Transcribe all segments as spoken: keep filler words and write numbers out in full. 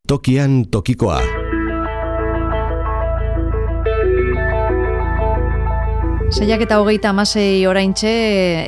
Tokian tokikoa. Seiak eta hogeita hamasei oraintxe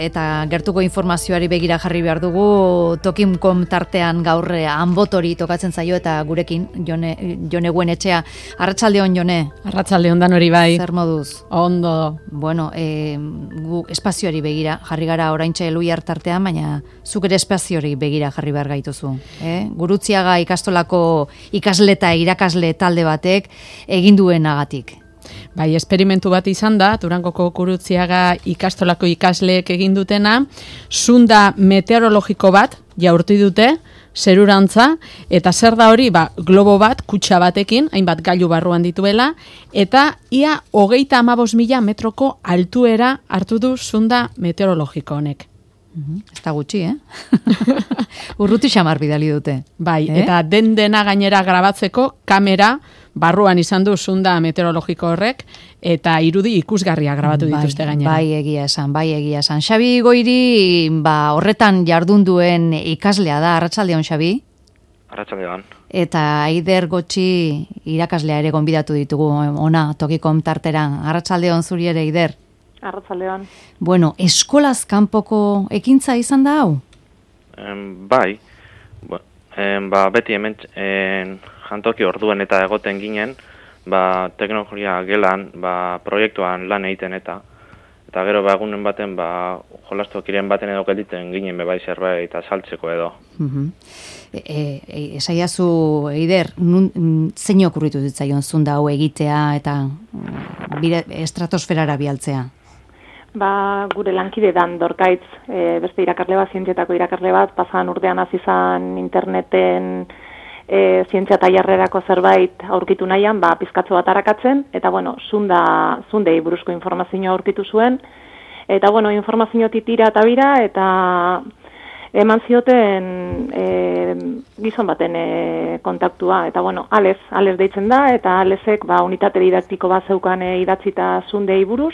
eta gertuko informazioari begira jarri behar dugu. Tokim.com tartean gaur Anbotori tokatzen zaio eta gurekin Jone, Jone Guenetxea. Arratsaldeon, Jone. Arratsaldeon dan hori bai. Zer moduz? Ondo. Bueno, e, gu espazioari begira jarri gara oraintxe Eluiar tartean, baina zuk ere espazioari begira jarri behar gaituzu. Eh? Gurutziaga ikastolako ikasle eta irakasle talde batek egin duenagatik. Bai, esperimentu bat izan da, Durangoko Gurutziaga ikastolako ikasleek egin dutena, zunda meteorologiko bat jaurti dute, zerurantza, eta zer da hori, ba, globo bat, kutxa batekin, hainbat gailu barruan dituela, eta ia hogeita hamabost mila metroko altuera hartu du zunda meteorologiko honek. Uh-huh. Ez da gutxi, eh? Urruti xamar bidali dute. Bai, eh? Eta den dena gainera grabatzeko kamera barruan izan du zunda meteorologiko horrek, eta irudi ikusgarria grabatu bai, dituzte gainera. Bai, egia esan, bai, egia esan. Xabi Goiri, ba, horretan jardun duen ikaslea da, arratsaldeon, Xabi? Arratsaldeon. Eta Aider Gotxi irakaslea ere gonbidatu ditugu, ona, Tokim tartera. Arratsaldeon zuri ere, Aider? Arratsaldeon. Bueno, eskolaz kanpoko ekintza izan da hau? Um, bai, ba, em, ba, beti hemen en, jantoki orduen eta egoten ginen, ba, teknologia gelan, ba, proiektuan lan egiten eta, eta gero ba, egunen baten, ba, jolastokiren baten edo gelditen ginen bebai zerbait eta saltzeko edo. Uh-huh. E, e, esaiazu, Eider, nun, zein okurritu ditzaion zunda hau egitea eta bire, estratosferara bialtzea? Ba, gure lankide dan Dorkaitz, e, beste irakasle bat, zientzietako irakasle bat, pasan urtean hasi izan interneten e, zientzia tailerrerako zerbait aurkitu nahian, ba, pizkatzo bat arakatzen, eta bueno, zunda, zundei buruzko informazioa aurkitu zuen, eta bueno, informazio titira eta bira, eta eman zioten e, gizon baten e, kontaktua, eta bueno, Alez, Alez deitzen da, eta Alezek ba, unitate didaktiko bat zeukan e, idatzita zundei buruz,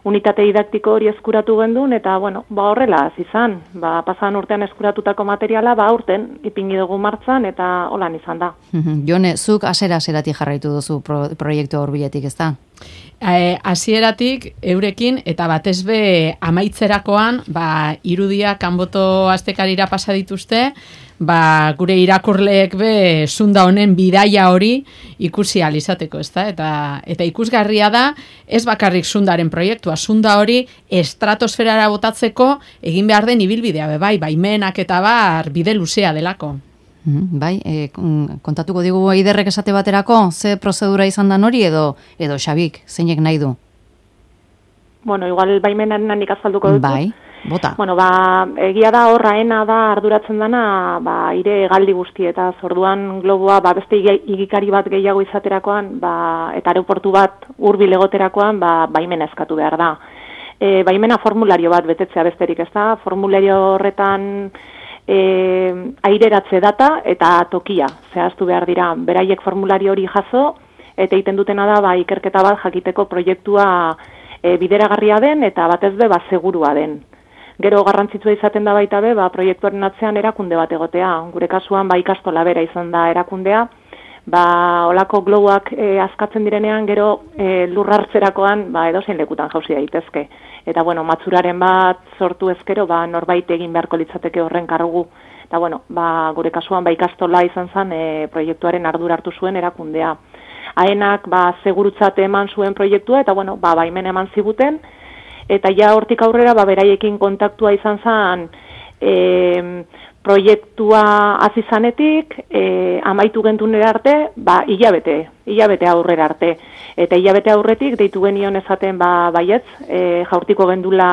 unitate didaktiko hori eskuratu gendun, eta, bueno, ba horrela izan, ba, pasan urtean eskuratutako materiala, ba urten ipingi dugu martzan, eta holan izan da. Jone, zuk asera-aseratik jarraitu duzu pro, proiektu horbiletik, ez da? E, hasieratik eurekin, eta batez be amaitzerakoan, ba, irudia kanboto astekarira pasa dituzte, ba, gure irakurleek be zunda honen bidaia hori ikusi ahal izateko, ezta? Eta, eta ikusgarria da, ez bakarrik zundaren proiektua, zunda hori estratosferara botatzeko egin behar den ibilbidea, be, bai, baimenak eta bar bide luzea delako. Mm, bai, e, kontatuko digu Aiderrek esate baterako, ze prozedura izan da hori edo edo Xabik, zeinek nahi du? Bueno, igual baimenaren handik azalduko dut. Bai, bota. Bueno, ba, egia da horraena da arduratzen dana, ba, ire galdi guzti, eta zorduan globoa, ba, beste igikari bat gehiago izaterakoan, ba, eta aeroportu bat hurbil egoterakoan, ba, baimena eskatu behar da. E, baimena formulario bat betetzea besterik, ez da? Formulario horretan E, aireratze data eta tokia zehaztu behar dira. Beraiek formulario hori jaso eta egiten dutena da ba, ikerketa bat jakiteko proiektua e, bideragarria den eta batez be ba, segurua den. Gero garrantzitsua izaten da baita be ba, proiektuaren atzean erakunde bat egotea. Gure kasuan ba, ikastola bera izan da erakundea. Ba, olako globoak e, askatzen direnean gero e, lurrartzerakoan ba, edozein lekutan jauzi daitezke. Eta, bueno, matzuraren bat sortu ezkero, ba, norbait egin beharko litzateke horren kargu. Eta, bueno, ba, gure kasuan, ba, ikastola izan zen e, proiektuaren ardura hartu zuen erakundea. Haenak, ba, segurutzate eman zuen proiektua, eta, bueno, ba, baimen eman ziguten. Eta ja hortik aurrera, ba, beraiekin kontaktua izan zen e, proiektua hasi zanetik, e, amaitu gentunera arte, ba, hilabete, hilabete aurrera arte. Eta hilabete aurretik deitu genion esaten ba, baietz, e, jaurtiko gendula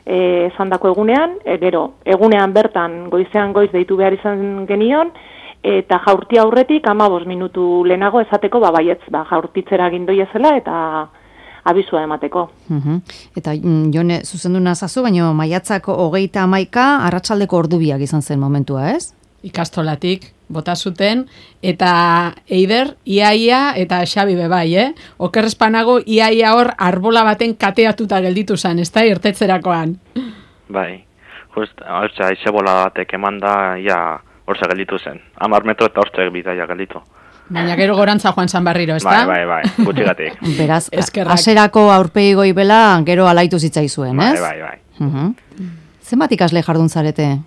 e, esandako egunean, e, gero, egunean bertan goizean goiz deitu behar izan genion, eta jaurti aurretik hamabost minutu lehenago esateko ba, baietz, ba, jaurtitzera gindoi ezela eta abizua emateko. Uh-huh. Eta Jone, zuzendu nazazu, baina maiatzako hogeita hamaika arratsaldeko ordubiak izan zen momentua, ez? Ikastolatik bota zuten, eta Eider, iaia, eta Xabi bebai, eh? Okerrespanago, iaia hor arbola baten kateatuta gelditu zen, ez da, irtetzerakoan. Bai, just, hau aize bola batek eman da, ja, hortza gelditu zen. Hamar metro eta hortzak bidaia gelditu. Baina gero gorantza joan zan barriro, ez da? Bai, bai, bai, gutxigatik. Beraz, aserako aurpegi goibela gero alaitu zitzaizuen, ez? Bai, bai, bai. Uh-huh. Zenbat ikasle jardun zarete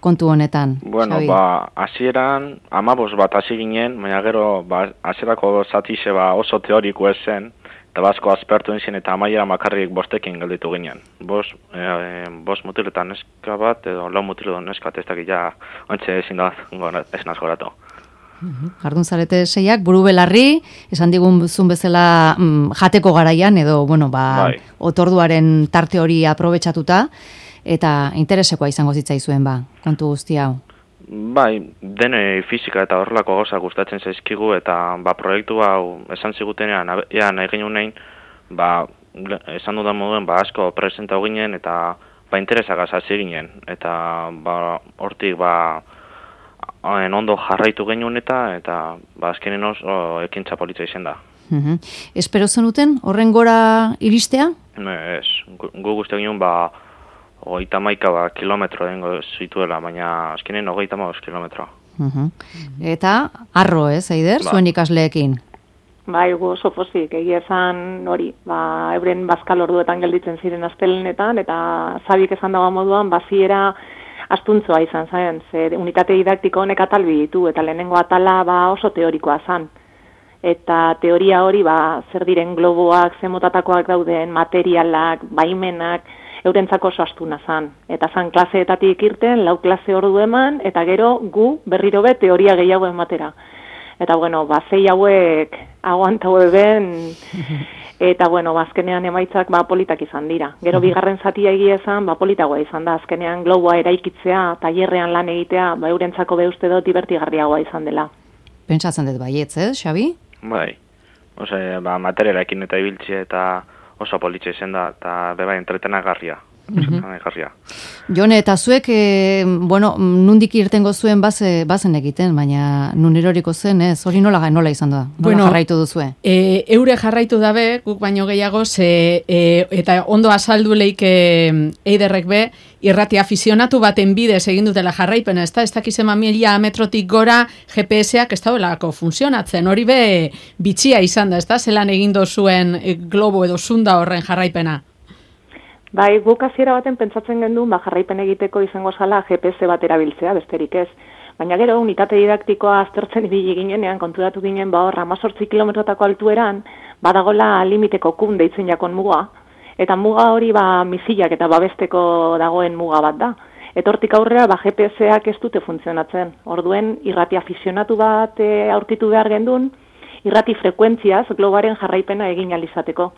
kontu honetan, Bueno, Xabi? ba, hasieran amabos bat hasi ginen, baina gero, ba, hasierako zatixe ba oso teoriko ez zen, eta basko aspertu izan eta amaiera makarrik bostekin gelditu ginen. Bos, e, bos mutiletan neska bat, edo lau mutiletan neska, ez dakit ja, ontsa ezin da, ez nazkoratu. Jardun zarete seiak, buru belarri, esan digun zun bezala mm, jateko garaian, edo, bueno, ba, Bai. otorduaren tarte hori aprobetxatuta, eta interesekoa izango zitzaizuen, ba, kontu guzti hau. Bai, dene fisika eta horrelako gauza gustatzen zaizkigu, eta ba, proiektu hau esan zigutenean, ea nahi ginen nein, ba, esan dudan moduen, ba, asko presentau ginen, eta ba, interesagaz hasi ginen, eta ba, hortik, ba, en ondo jarraitu genuen eta, eta ba, azkenen oso ekintza politza izan da. Uh-huh. Espero zenuten, horren gora iristea? Ez, gu, gu guzti ginen, ba, hogeita maika ba, kilometro dengo zituela, baina azkenen hogeita maus kilometro. Uh-huh. Eta, arro, ez, Eider, Ba. zuen ikasleekin? Bai, gu oso pozik, egia esan hori, ba, euren bazkal orduetan gelditzen ziren astelenetan, eta zabik esan dago moduan, baziera astuntzoa izan zen, zer unitate didaktiko honek atalbi ditu, eta lehenengo atala ba, oso teorikoa zen. Eta teoria hori, ba, zer diren globoak, zemotatakoak dauden, materialak, baimenak, eurentzako oso astuna zen. Eta zen klaseetatik irten, lau klase ordu eman, eta gero gu berriro be teoria gehiago ematera. Eta bueno, ba, zei hauek aguantau eben, eta bueno, ba, azkenean emaitzak ba, politak izan dira. Gero bigarren zatia egia esan, ba, politagoa izan da, azkenean globoa eraikitzea, tailerrean lan egitea, ba, eurentzako be uste dut divertigarriagoa izan dela. Pentsatzen dut baietz, ez, Xabi? Bai, ose, ba, materialekin eta ibiltze eta oso politxe izan da, eta beba entretenagarria. Garria. Jone, eta zuek, e, bueno, nundik irtengo zuen baze, bazen egiten, baina nun eroriko zen, ez? Hori nola, nola izan da? Nola Bueno, jarraitu duzue? E, eure jarraitu dabe, guk baino gehiago, ze, e, eta ondo azaldu leik e, eiderrek be, irrati afizionatu baten bidez egin dutela jarraipena, ez da, ez dakizema mila metrotik gora G P S-ak ez daudelako funtzionatzen, hori be bitxia izan da, ez da, zelan egin dozuen e, globo edo zunda horren jarraipena. Bai, guk hasiera baten pentsatzen gendun, ba, jarraipen egiteko izango zala G P S bat erabiltzea, besterik ez. Baina gero, unitate didaktikoa aztertzen ibili ginenean, konturatu ginen, ba, hor, hamazortzi kilometrotako altueran, badagola limiteko kun deitzen jakon muga, eta muga hori, ba, misilak eta babesteko dagoen muga bat da. Eta hortik aurrera, ba, G P S-ak ez dute funtzionatzen. Orduen, irrati afizionatu bat e, aurkitu behar gendun, irrati frekuentziaz globaren jarraipena egin alizateko.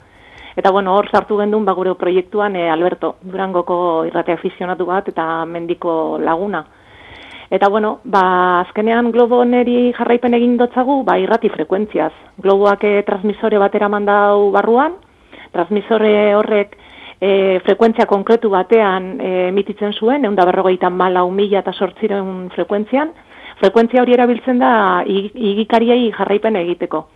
Eta bueno, hor sartu gendun ba gure proiektuan e, Alberto, Durangoko irrati afizionatu bat eta mendiko laguna. Eta bueno, ba azkenean globo neri jarraipen egin dotzagu, ba irrati frekuentziaz. Globoak e, transmisore batera mandau barruan, transmisore horrek e, frekuentzia konkretu batean e, emititzen zuen, ehun eta berrogeita hamalau mila zortziehun frekuentzian. Frekuentzia hori erabiltzen da igikariei jarraipen egiteko.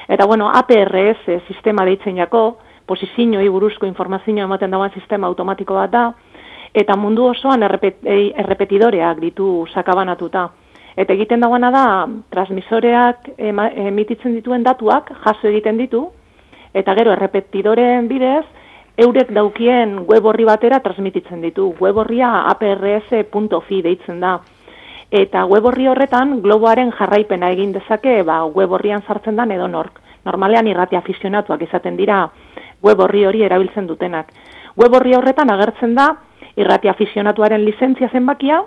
Eta bueno, A P R S sistema deitzen jako, posizioei buruzko informazioa ematen dagoen sistema automatiko bat da, eta mundu osoan errepet, errepetidoreak ditu sakabanatuta. Eta egiten dagoena da, transmisoreak ema, emititzen dituen datuak jaso egiten ditu, eta gero errepetidoreen bidez, eurek daukien web horri batera transmititzen ditu. Web horria A P R S punto fi deitzen da. Eta web horri horretan, globoaren jarraipena egin dezake, ba, web horrian sartzen da edo nork. Normalean irrati afizionatuak izaten dira web horri hori erabiltzen dutenak. Web horri horretan agertzen da irrati afizionatuaren lizentzia zenbakia,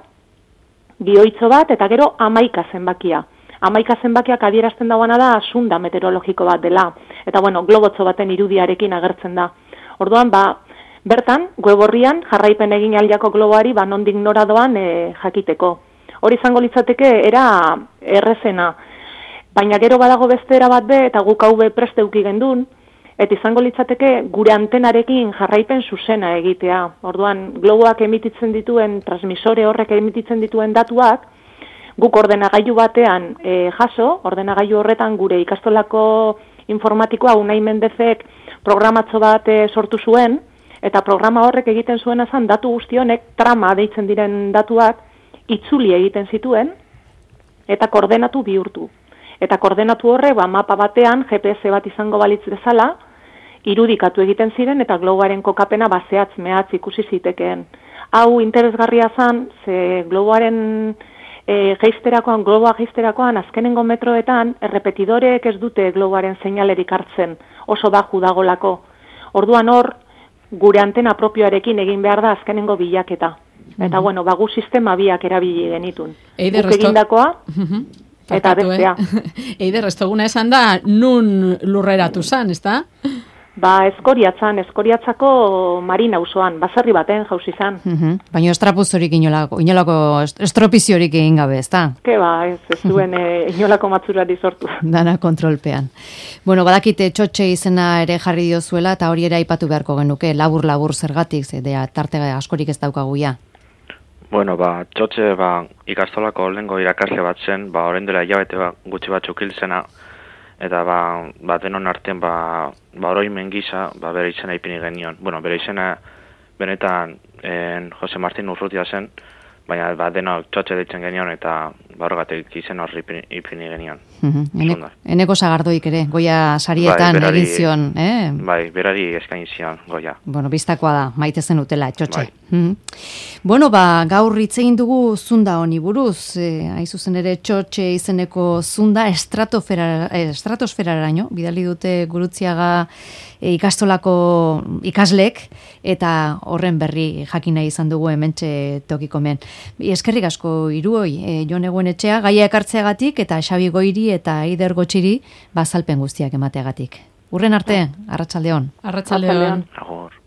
gioitzo bat eta gero hamaika zenbakia. Hamaika zenbakiak adierazten dagoena da sunda meteorologiko bat dela. Eta bueno, globotzo baten irudiarekin agertzen da. Orduan, ba, bertan, web horrian jarraipen egin aldiako globoari ba, nondik nora doan e, jakiteko. Hori izango litzateke era errezena. Baina gero badago beste era bat be, eta guk hau be preste uki gendun, eta izango litzateke gure antenarekin jarraipen zuzena egitea. Orduan, globoak emititzen dituen, transmisore horrek emititzen dituen datuak, guk ordenagailu batean e, jaso, ordenagailu horretan gure ikastolako informatikoa Unai Mendezek programatzo bat e, sortu zuen, eta programa horrek egiten zuen azan datu guztionek trama deitzen diren datuak itzuli egiten zituen, eta koordenatu bihurtu. Eta koordenatu horre, ba, mapa batean, G P S bat izango balitz bezala, irudikatu egiten ziren, eta globoaren kokapena bazeatz mehatz ikusi zitekeen. Hau interesgarria zan, ze globoaren e, geisterakoan, globoa geisterakoan, azkenengo metroetan, errepetidoreek ez dute globoaren seinalerik hartzen, oso baju dagolako. Orduan hor, gure antena propioarekin egin behar da azkenengo bilaketa. Eta, mm-hmm. bueno, bagu sistema biak erabili genitun. Eider, Guk egindakoa, mm-hmm. eta bestea. Eh? Eider, estoguna esan da, nun lurreratu zan, ez da? Ba, eskoriatzan, eskoriatzako marina auzoan, baserri baten jauzi zan. Mm-hmm. Baina estrapuziorik inolako, inolako estropiziorik egin gabe, ez da? Ke ba, ez, ez duen e, inolako matzurari sortu. Dana kontrolpean. Bueno, badakite txotxe izena ere jarri diozuela, eta hori ere aipatu beharko genuke, labur-labur zergatik, zedea, tarte askorik ez daukaguia. Bueno, ba, txotxe, ba, ikastolako lehengo irakasle bat zen, ba, orain dela hilabete ba, gutxi batzuk hil zena, eta ba, ba denon artean ba, ba oroimen gisa, ba, bere izena ipini genion. Bueno, bere izena benetan en, Jose Martin Urrutia zen, baina ba, denok txotxe ditzen genion, eta ba, horregatik izen horri ipini, ipini genion. Mm-hmm. Eneko Sagardoik ere, Goia sarietan bai, egin zion, eh? Bai, berari eskain zion, Goia. Bueno, biztakoa da, maite zen utela, txotxe. Bai. Mm-hmm. Bueno, ba, gaur hitz egin dugu zunda honi buruz, eh, hain zuzen ere txotxe izeneko zunda estratosfera, eh, estratosferaraino, bidali dute Gurutziaga eh, ikastolako ikaslek, eta horren berri jakina izan dugu hementxe tokikomen. Eskerrik asko hiruoi, eh, Jon Eguenetxea, gaia ekartzeagatik, eta Xabi Goiri eta Eider Gotxiri bazalpen guztiak emateagatik. Urren arte, arratsaldeon. Arratsaldeon. Agor.